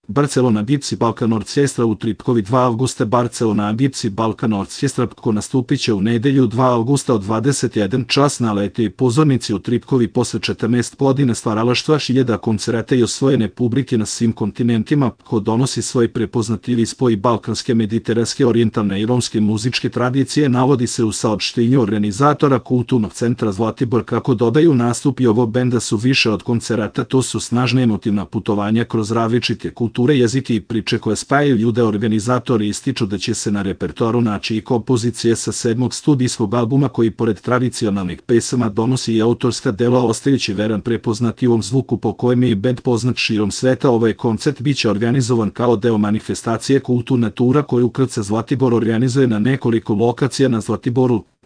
Barcelona Gypsy Balkan Orchestra u Tripkovi 2 avgusta. Barcelona Gypsy Balkan Orchestra nastupit će u nedjelju 2 avgusta od 21 čas na letnjoj pozornici u Tripkovi posle 14 godina stvaralaštva, hiljada koncerata i osvojene publike na svim kontinentima, ko donosi svoj prepoznatljivi spoj balkanske, mediteranske, orijentalne i romske muzičke tradicije, navodi se u saopštenju organizatora Kulturnog centra Zlatibor. Kako dodaju, nastupi ovog benda su više od koncerata, to su snažna emotivna putovanja kroz različite kulture, jezike i priče koje spajaju ljude. Organizatori ističu da će se na repertoaru naći i kompozicije sa 7. studijskog albuma, koji pored tradicionalnih pesama donosi i autorska dela, ostajući veran prepoznatljivom zvuku po kojem je bend poznat širom sveta. Ovaj koncert biće organizovan kao deo manifestacije Kulturna tura koju KC Zlatibor organizuje na nekoliko lokacija na Zlatiboru.